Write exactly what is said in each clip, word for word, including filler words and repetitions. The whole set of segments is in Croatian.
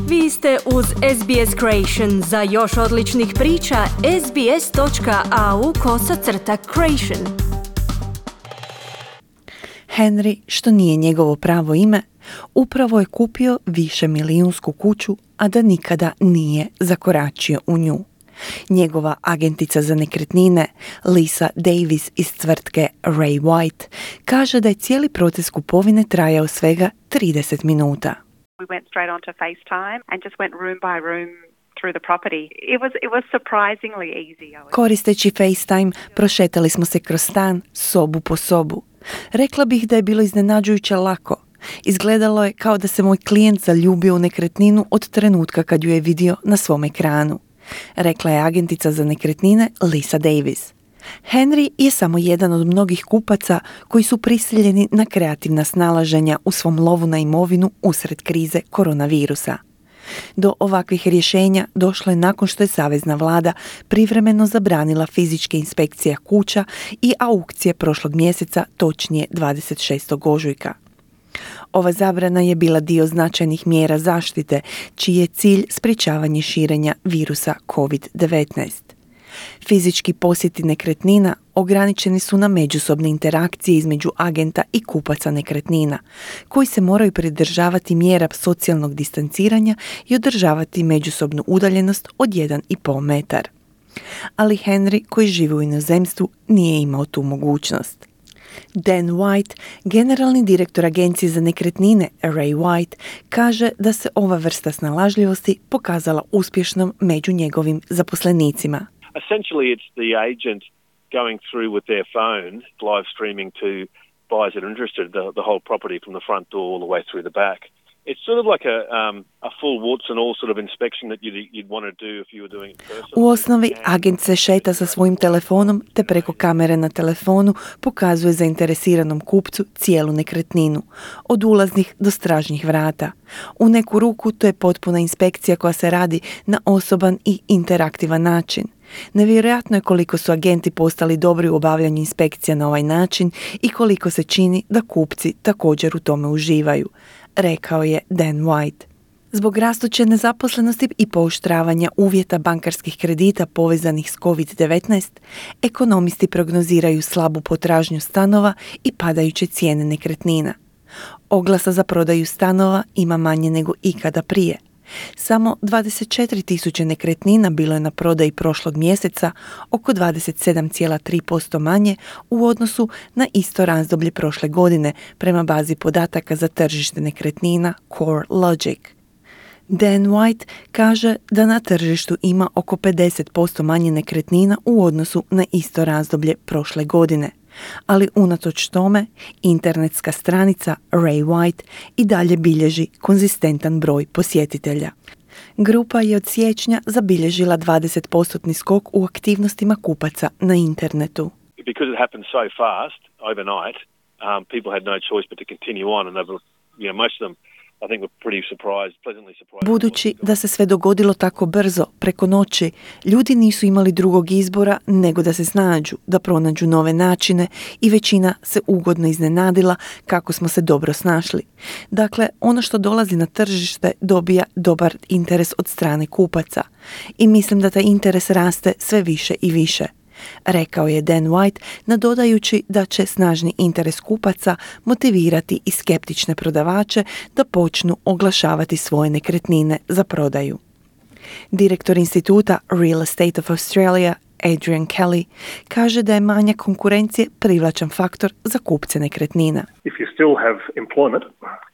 Vi ste uz S B S Creation. Za još odličnih priča, sbs.au kosacrta creation. Henry, što nije njegovo pravo ime, upravo je kupio višemilijunsku kuću, a da nikada nije zakoračio u nju. Njegova agentica za nekretnine, Lisa Davis iz tvrtke Ray White, kaže da je cijeli proces kupovine trajao svega trideset minuta. We went straight onto FaceTime and just went room by room through the property. It was it was surprisingly easy. Koristeći FaceTime, prošetali smo se kroz stan, sobu po sobu. Rekla bih da je bilo iznenađujuće lako. Izgledalo je kao da se moj klijent zaljubio u nekretninu od trenutka kad ju je vidio na svom ekranu, rekla je agentica za nekretnine Lisa Davis. Henry je samo jedan od mnogih kupaca koji su prisiljeni na kreativna snalaženja u svom lovu na imovinu usred krize koronavirusa. Do ovakvih rješenja došlo je nakon što je savezna vlada privremeno zabranila fizičke inspekcije kuća i aukcije prošlog mjeseca, točnije dvadeset šestog ožujka. Ova zabrana je bila dio značajnih mjera zaštite, čiji je cilj sprječavanje širenja virusa kovid devetnaest. Fizički posjeti nekretnina ograničeni su na međusobne interakcije između agenta i kupaca nekretnina, koji se moraju pridržavati mjera socijalnog distanciranja i održavati međusobnu udaljenost od jedan i pol metar. Ali Henry, koji živi u inozemstvu, nije imao tu mogućnost. Dan White, generalni direktor agencije za nekretnine Ray White, kaže da se ova vrsta snalažljivosti pokazala uspješnom među njegovim zaposlenicima. Essentially, it's the agent going through with their phone, live streaming to buyers that are interested, the, the whole property from the front door all the way through the back. It's sort of like a, um, a full warts and all sort of inspection that you'd, you'd want to do if you were doing it personally. U osnovi, agent se šeta sa svojim telefonom te preko kamere na telefonu pokazuje zainteresiranom kupcu cijelu nekretninu, od ulaznih do stražnjih vrata. U neku ruku to je potpuna inspekcija koja se radi na osoban i interaktivan način. Nevjerojatno je koliko su agenti postali dobri u obavljanju inspekcija na ovaj način i koliko se čini da kupci također u tome uživaju, rekao je Dan White. Zbog rastuće nezaposlenosti i pooštravanja uvjeta bankarskih kredita povezanih s kovid devetnaest, ekonomisti prognoziraju slabu potražnju stanova i padajuće cijene nekretnina. Oglasa za prodaju stanova ima manje nego ikada prije. Samo dvadeset četiri tisuće nekretnina bilo je na prodaji prošlog mjeseca, oko dvadeset sedam zarez tri posto manje u odnosu na isto razdoblje prošle godine, prema bazi podataka za tržište nekretnina CoreLogic. Dan White kaže da na tržištu ima oko pedeset posto manje nekretnina u odnosu na isto razdoblje prošle godine. Ali unatoč tome, internetska stranica Ray White i dalje bilježi konzistentan broj posjetitelja. Grupa je od siječnja zabilježila dvadeset posto skok u aktivnostima kupaca na internetu. Because it happened so fast overnight, um, people had no choice but to continue on, and they were, you know, most of them I think we're pretty surprised, pleasantly surprised. Budući da se sve dogodilo tako brzo, preko noći, ljudi nisu imali drugog izbora nego da se snađu, da pronađu nove načine i većina se ugodno iznenadila kako smo se dobro snašli. Dakle, ono što dolazi na tržište dobija dobar interes od strane kupaca i mislim da taj interes raste sve više i više, rekao je Dan White, nadodajući da će snažni interes kupaca motivirati i skeptične prodavače da počnu oglašavati svoje nekretnine za prodaju. Direktor instituta Real Estate of Australia, Adrian Kelly, kaže da je manjak konkurencije privlačan faktor za kupce nekretnina. If you still have employment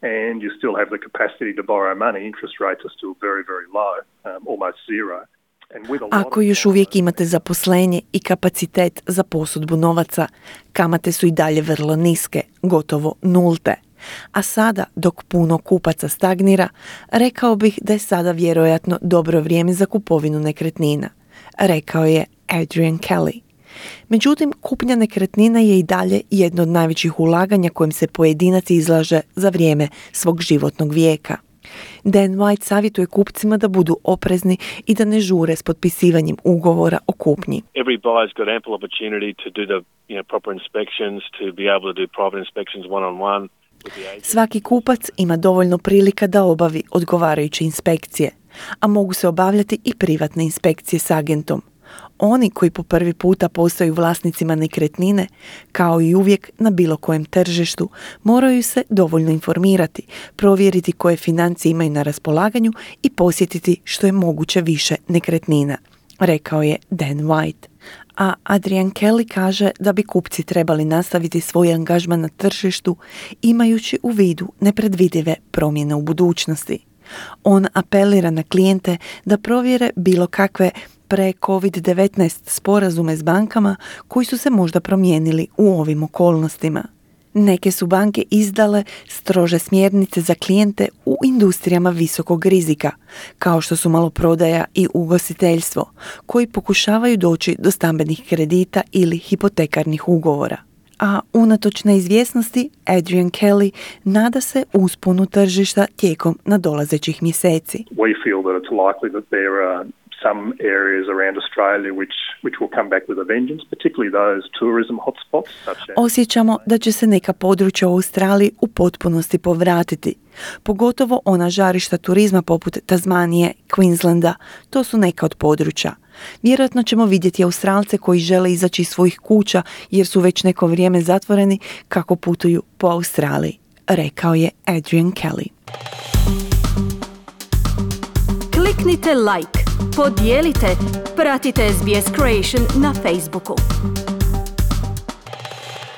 and you still have the capacity to borrow money, interest rates are still very, very low, um, almost zero. Ako još uvijek imate zaposlenje i kapacitet za posudbu novaca, kamate su i dalje vrlo niske, gotovo nulte. A sada, dok puno kupaca stagnira, rekao bih da je sada vjerojatno dobro vrijeme za kupovinu nekretnina, rekao je Adrian Kelly. Međutim, kupnja nekretnina je i dalje jedno od najvećih ulaganja kojim se pojedinac izlaže za vrijeme svog životnog vijeka. Dan White savjetuje kupcima da budu oprezni i da ne žure s potpisivanjem ugovora o kupnji. Every buyer's got ample opportunity to do the, you know, proper inspections, to be able to do private inspections one on one. Svaki kupac ima dovoljno prilika da obavi odgovarajuće inspekcije, a mogu se obavljati i privatne inspekcije s agentom. Oni koji po prvi puta postaju vlasnicima nekretnine, kao i uvijek na bilo kojem tržištu, moraju se dovoljno informirati, provjeriti koje financije imaju na raspolaganju i posjetiti što je moguće više nekretnina, rekao je Dan White. A Adrian Kelly kaže da bi kupci trebali nastaviti svoj angažman na tržištu imajući u vidu nepredvidive promjene u budućnosti. On apelira na klijente da provjere bilo kakve pre-covid devetnaest sporazume s bankama koji su se možda promijenili u ovim okolnostima. Neke su banke izdale strože smjernice za klijente u industrijama visokog rizika, kao što su maloprodaja i ugostiteljstvo, koji pokušavaju doći do stambenih kredita ili hipotekarnih ugovora. A unatoč neizvjesnosti, Adrian Kelly nada se usponu tržišta tijekom nadolazećih mjeseci. We feel that it's likely that there are some areas around Australia which which will come back with a vengeance, particularly those tourism hotspots such as... Osjećamo da će se neka područja u Australiji u potpunosti povratiti. Pogotovo ona žarišta turizma poput Tasmanije, Queenslanda, to su neka od područja. Vjerojatno ćemo vidjeti Australce koji žele izaći iz svojih kuća jer su već neko vrijeme zatvoreni kako putuju po Australiji, rekao je Adrian Kelly. Kliknite like, podijelite, pratite S B S Creation na Facebooku.